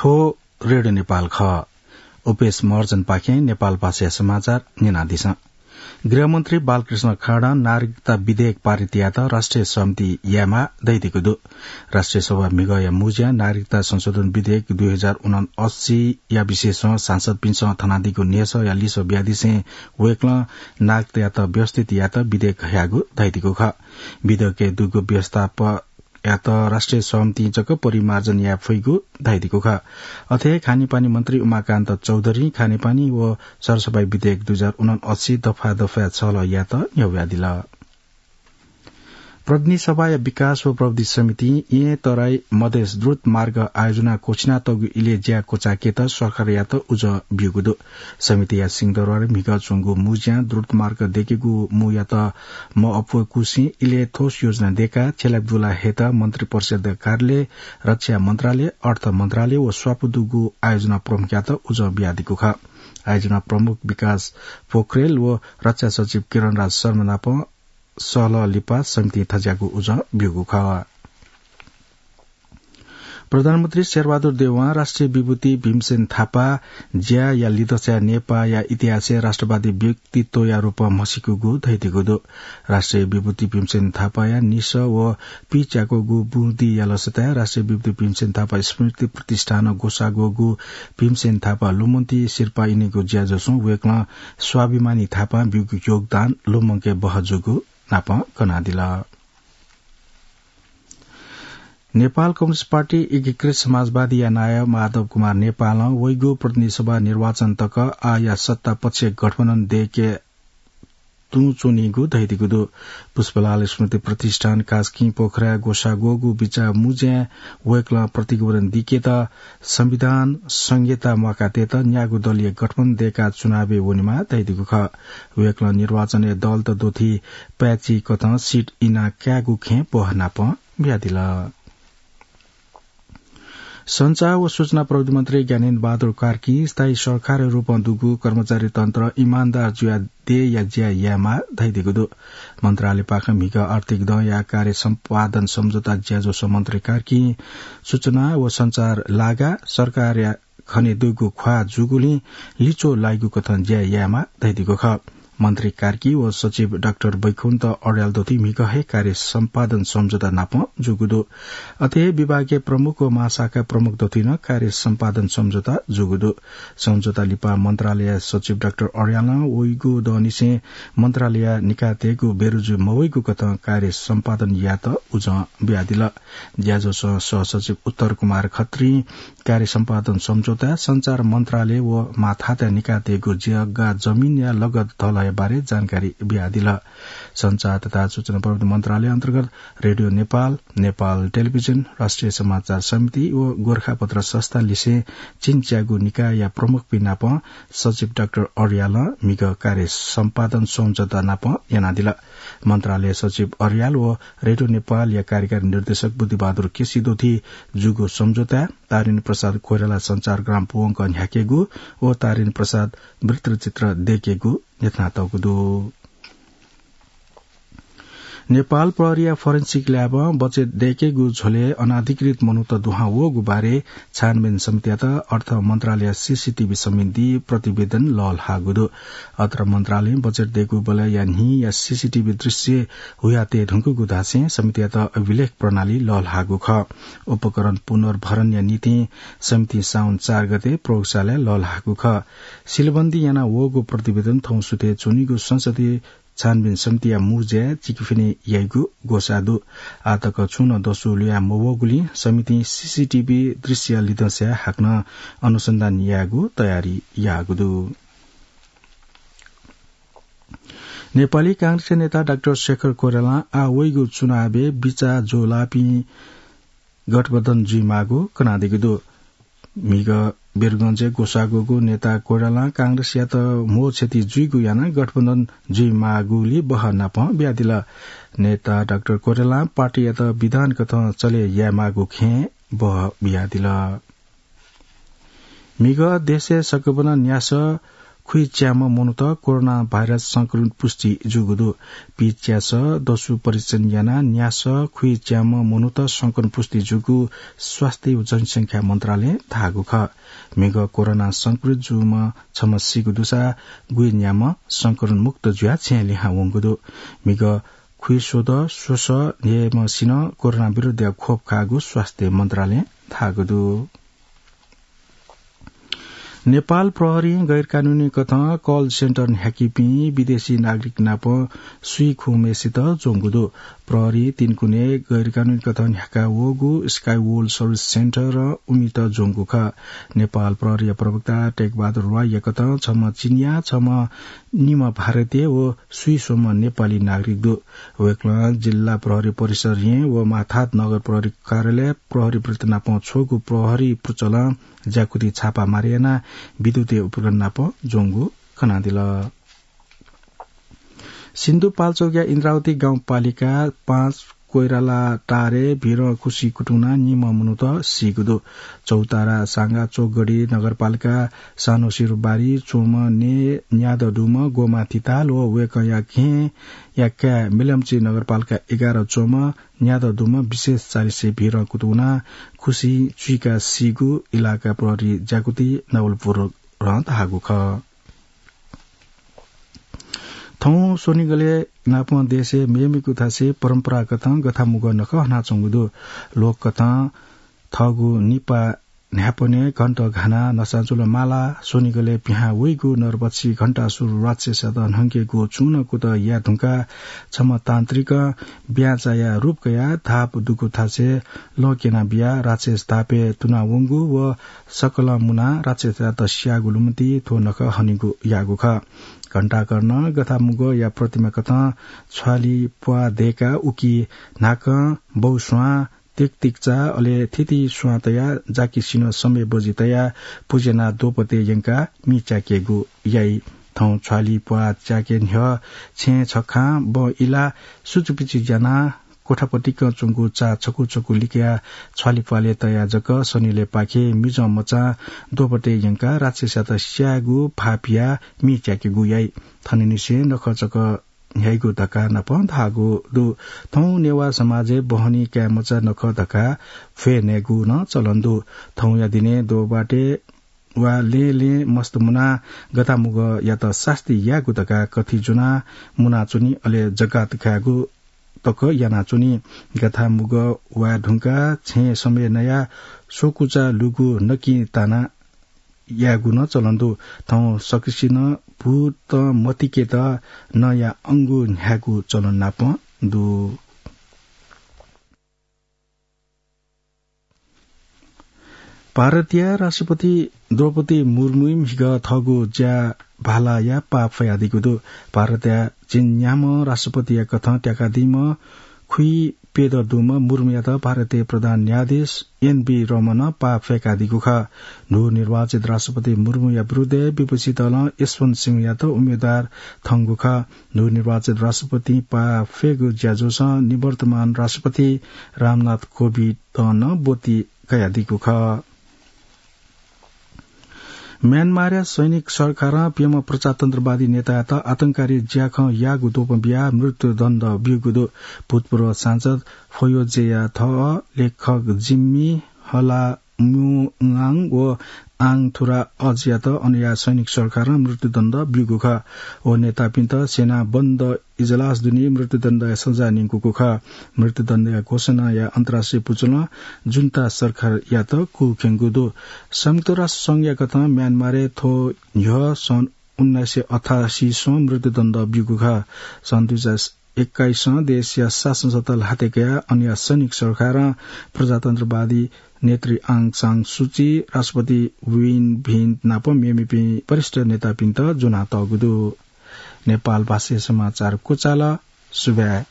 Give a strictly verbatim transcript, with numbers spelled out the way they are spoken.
थ्व रेडियो नेपाल खः। उपेश महर्जनपाखें नेपाल भाषाया समाचार न्यनादिसँ। गृहमन्त्री बालकृष्ण खाँडं नागरिकता विधेयक पारित यायेत राष्ट्रिय सहमति यायेमाः धयादीगु दु। राष्ट्रिय सभा म्हिगःया मुँज्यां नागरिकता संशोधन विधेयक दुई हजार उनअस्सीया विषयसं सांसदपिन्सं थनादीगु न्ह्यसःया लिसः बियादिसें वय्कलं नागरिकतायात व्यवस्थित यायेत विधेयक हयागु धयादीगु खः। विधेयकय् दुगु व्यवस्थाप यात राष्ट्रिय सहमतिं जक परिमार्जन याये फइगु धयादीगु खः। अथे हे खानेपानी मन्त्री उमाकान्त चौधरीं खानेपानी व सरसफाई विधेयक दुई हजार उनअस्सी दफा दफाय् छलह यायेत न्ह्यब्वयादिल। प्रतिनिधि सभाया विकास व प्रविधि समितिं येँ तराई मधेस द्रुत मार्ग आयोजना क्वछिनातःगु इलय् ज्या क्वचाय्केत सरकारयात उजं ब्यूगु दु। समितिया सिंहदरबारय् म्हिगः च्वंगु मुँज्यां द्रुत मार्ग दय्केगु मुँयात मअप्वय्कूसें इलय् ठोस योजना दय्काः छ्यलाबुला हयेत मन्त्रिपरिषद्या कार्यालय, रक्षा मन्त्रालय, अर्थ मन्त्रालय व स्वापू दुगु आयोजना प्रमुखयात उजं बियादीगु खः। आयोजना प्रमुख विकास पोखरेल व रक्षा सचिव किरणराज शर्मा नाप सहलह लिपा समितिं थज्याःगु उजं ब्यूगु खः। प्रधानमन्त्री शेरबहादुर देउवां राष्ट्रिय विभूति भीमसेन थापा ज्याया लिधंसाय् नेपाःया इतिहासय् राष्ट्रवादी व्यक्तित्वया रूपं म्हसीकूगु धयादीगु दु। राष्ट्रिय विभूति भीमसेन थापाया निसः व पिच्याकूगु बुँदिया लसताय् राष्ट्रिय विभूति भीमसेन थापा स्मृति प्रतिष्ठानं ग्वसाः ग्वःगु भीमसेन थापा लुमन्ति सिरपाः इनिगु ज्याझ्वलय् वय्कलं स्वाभिमानी थापां ब्यूगु योगदान लुमंके बहःजूगु नाप कनादिल। नेपाल कम्युनिस्ट पार्टी एकीकृत समाजवादीया नायः माधव कुमार नेपालं वइगु प्रतिनिधि सभा निर्वाचन तक आःया सत्ता पक्षय् गठबन्धन दय्के तुं च्वनीगु धयादीगु दु। पुष्पलाल स्मृति प्रतिष्ठान कास्की पोखराय् ग्वसाः ग्वःगु बिचाः मुँज्यां वय्कलं प्रतिवेदन दय्केत संविधान संहिता म्वाकातयेत न्यागू दलीय गठबन्धन दय्काः चुनावय् वनेमाः धयादीगु खः। वय्कलं निर्वाचनय् दलत द्वथी पाय्चिकथं सिट इना कायेगु खँय् ब्वहः नाप बियादिल। सञ्चार व सूचना प्रविधि मन्त्री ज्ञानेन्द्र बहादुर कार्कीं स्थायी सरकारया रूपं दुगु कर्मचारी तन्त्र इमानदार जुयाः देय्या ज्या यायेमाः धयादीगु दु। मन्त्रालयपाखें म्हिगः आर्थिक दँया कार्य सम्पादन सम्झौता ज्याझ्वलय् मन्त्री कार्कीं सूचना व सञ्चार लागाः सरकारया खने दुगु ख्वाः जूगुलिं लिच्वः लाइगु कथं ज्या यायेमाः धयादीगु खः। मन्त्री कार्की व सचिव डाक्टर बैकुण्ठ अर्याल द्वथी म्हिगः हे कार्य सम्पादन सम्झौता नाप जूगु दु। अथे हे विभागीय प्रमुख व महाशाखा प्रमुख द्वथी नं कार्य सम्पादन सम्झौता जूगु दु। सम्झौता लिपा मन्त्रालय सचिव डाक्टर अर्यालं वइगु दँनिसें मन्त्रालय निकाः तयेगु बेरुजु मवइगु कथं कार्य सम्पादन यायेत उजं बियादिल। ज्याझ्वलय् सहसचिव उत्तर कुमार खत्रीं कार्य सम्पादन सम्झौता, सञ्चार मन्त्रालय व माथातय् निकाः तयेगु जग्गा जमिनया लगत धलया बारे जानकारी बियादिल। सञ्चार तथा सूचना प्रविधि मन्त्रालय अन्तर्गत रेडियो नेपाल, नेपाल टेलिभिजन, राष्ट्रिय समाचार समिति व गोरखापत्र संस्था लिसें चिन्च्यागू निकायया प्रमुखपिं नाप सचिव डाक्टर अर्यालं म्हिगः कार्य सम्पादन सम्झौता नाप यानादिल। मन्त्रालय सचिव अर्याल व रेडियो नेपालया कार्यकारी निर्देशक बुद्धिबहादुर केसी द्वथी जूगु सम्झौताय् तारेन्द्र प्रसाद कोइराला सञ्चारग्राम पूवंक न्ह्याकेगु व तारेन्द्र प्रसाद वृत्तचित्र दय्केगु न्ह्यथनातःगु दु। नेपाल प्रहरीया फोरेन्सिक ल्याबं बचेट दय्केगु झ्वलय् अनाधिकृत मनूत दुहां वःगु बारे छानबिन समितियात अर्थ मन्त्रालय सीसीटीभी सम्बन्धी प्रतिवेदन लःल्हाःगु दु। अर्थ मन्त्रालयं बचेट दय्कूबलय्‌या न्हिया सीसीटीभी दृश्य हुयातये धुंकूगु धासें समितियात अभिलेख प्रणाली लःल्हाःगु खः। उपकरण पुनर्भरणया निंतिं समितिं साउन चार गते प्रयोगशालाय् लःल्हाःगु खः। सिलबन्दी याना वःगु प्रतिवेदन थौं सुथय् च्वनीगु संसदीय छानबिन समितिया मू ज्याय् चिकिफिनि याइगु ग्वसाः दु। आःतक छुं नं दसु ल्हुया मवःगुलिं समितिं सीसीटीभी दृश्य लिधंसाय् हाकनं अनुसन्धान यायेगु तयारी याःगु दु। नेपाली कांग्रेसया नेता डाक्टर शेखर कोइरालां आः वइगु चुनावय् बिचाः ज्वःलाःपिं गठबन्धन जुइमाःगु कनादीगु दु। म्हिगः वीरगंजय् ग्वसाः ग्वःगु नेता कोइरालां कांग्रेसयात म्हो क्षति जुइगु यानाः गठबन्धन जुइमाःगुलि बहः नापं बियादिल। नेता डाक्टर कोइरालां पार्टीयात विधान कथं चले यायेमाःगु खँय् बहः बियादिल। म्हिगः देशय् सकभनं न्यासः खुइच्याम्ह मनूत कोरोना भाइरस संक्रमित पुष्टि जूगु दु। पीच्यासः दसु परीक्षण यानाः न्यासः खुइच्याम्ह मनूत संक्रमित पुष्टि जूगु स्वास्थ्य व जनसंख्या मन्त्रालयं धाःगु खः। म्हिगः कोरोना संक्रमित जूम्ह छम्ह सीगु दुसा गुइन्याम्ह संक्रमण मुक्त जुयाः छेँय् लिहां वंगु दु। म्हिगः खुइस्वदँ स्वसः न्हय्म्हसिनं कोरोना विरुद्धया खोप खाःगु स्वास्थ्य मन्त्रालयं धाःगु दु। नेपाल प्रहरीं गैरकानूनी कथं call center न्ह्याकीपिं विदेशी नागरिक नाप स्वीखुम्हेसित ज्वंगु दु। प्रहरीं तीनकुने गैरकानूनी कथं न्ह्याका वःगु Sky World Service Center-ं उमित ज्वंगु खः। नेपाल प्रहरीया प्रवक्ता टेकबहादुर राईया कथं छम्ह चिनियाँ, छम्ह निम्ह भारतीय व स्वीस्वम्ह नेपाली नागरिक दु। वय्कलं जिल्ला प्रहरी परिसर येँ व माथात नगर प्रहरी कार्यालय प्रहरी वृत्त नाप छ्वःगु प्रहरी पुचलं ज्याकुथि छापा मारे यानाः विद्युतीय उपकरण नाप ज्वंगु खनादिल। सिन्धुपाल्चोकया इन्द्रावती गाउँपालिका पाँच कोइराला टारे भिरं खुसि कुतुना निम्ह मनूत सीगु दु। चौतारा सांगा चोकगढी नगरपालिका सानो सिरुबारी च्वंम्ह ने न्यादँ दुम्ह गोमा तिताल व वय्कःया घेंया काय् मिलम्ची नगरपालिका एघार च्वंम्ह न्यादँ दुम्ह विशेष चालिसे भिरं कुतुना खुसि चुइका सीगु इलाका प्रहरी ज्याकुथि नवलपुरं धाःगु खः। थौं स्वनिगलय् नापं देशय् मेमेगु थासय् परम्परागतं गथामुगः नखः हनाच्वंगु दु। लोककथं थःगु निपा न्हाय्पनय् घण्ट घानाः नसाचुल माला स्वनिगलय् पिहां वइगु नरभक्षी घण्टासुर राक्षसयात न्हंकेगु चूनं कुतः याये धुंकाः छम्ह तान्त्रिकं ब्याँचाया रूप कयाः धाप दुगु थासय् लँ क्यना बियाः राक्षस धापय् तुना वंगु व सकलं मुनाः राक्षसयात स्याःगु लुमति थ्व नखः हनेगु याःगु खः। घण्टाकर्णं गथामुगःया प्रतिमा कथं छ्वालि प्वाः दय्काः उकी न्हाकं बौ स्वां तिकतिकचा अले थिति स्वां तयाः जाकिसिनं समय बजि तयाः पुज्यानाः द्वपतय् यंकाः मि च्याकेगु याइ। थौं छ्वालि प्वाः च्याके न्ह्यः छेँ छखां बँ इलाः सुचुपिचु ज्यानाः कोठापतिकं च्वंगु चा छकू छकू लिकयाः छ्वालि प्वालय् तयाः जक सनिलय्पाखे मिजं मचां द्वपतय् यंकाः राक्षसयात स्यायेगु भाःपियाः मि च्याकेगु याइ। थनंनिसें नखः चक न्ह्याइगु धकाः नापं धाःगु दु। थौं नेवाः समाजय् बहनी काय्मचा नखः धकाः फ्वय् नयेगु नं चलन दु। थौंया दिनय् द्वबातय् वा लँय् लँय् मस्त मुनाः गथामुगःयात सास्ती यायेगु धकाः कथि ज्वनाः मुनाच्वनी, अले जकात कायेगु तक यानाच्वनी। गथामुगः वाये धुंकाः छेँ समय नयाः स्वकुचा लुगु नकिं ताना यायेगु नं चलन दु। थौं सकसिनं भूतं मतिकेत नँया अंगु न्ह्यायेगु चलन नापं दु। भारतया राष्ट्रपति द्रौपदी मुर्मुं म्हिगः थःगु ज्या भालाया पाः फयादीगु दु। भारतया झिंन्याम्ह राष्ट्रपतिया कथं त्याकादीम्ह खुइप्यदँ दुम्ह मुर्मुयात भारतीय प्रधान न्यायाधीश एनबी रमणं पाः फय्कादीगु खः। न्हू निर्वाचित राष्ट्रपति मुर्मुया विरुद्धय् विपक्षी दलं यशवन्त सिंहयात उम्मेदवार थंगु खः। न्हू निर्वाचित राष्ट्रपतिं पाः फय्गु ज्याझ्वलय् निवर्तमान राष्ट्रपति रामनाथ कोविन्दं नं ब्वति कयादीगु खः। म्यानमारया सैनिक सरकारं प्यम्ह प्रजातन्त्रवादी नेतायात आतंकवादी ज्याखँ याःगु द्वपं बियाः मृत्युदण्ड ब्यूगु दु। भूतपूर्व सांसद फोयोजेया थः लेखक जिम्मी हलाम्युआङ व आङ थुरा अजयात अनया सैनिक सरकारं मृत्युदण्ड ब्यूगु खः। व नेतापिन्त सेना बन्द इजलास दुने मृत्युदण्डया सजाय न्यंकूगु खः। मृत्युदण्डया घोषणाया अन्तर्राष्ट्रिय पुचलं जुन्ता सरकारयात कुःखेंगु दु। संयुक्त राष्ट्र संघया कथं म्यानमारय् थ्व न्ह्यः सन् उन्नाइस सय अठासीसं मृत्युदण्ड ब्यूगु खः। सन् दुई हजार एक्काइसं देशया शासन सत्ता ल्हाते कयाः अनया सैनिक सरकारं प्रजातन्त्रवादी नेत्री आङ सान सुची, राष्ट्रपति विन मिन्ट नाप मेमेपिं वरिष्ठ नेतापिन्त ज्वनातःगु दु। नेपाल भाषाय् समाचार क्वचाल। सुभाय्।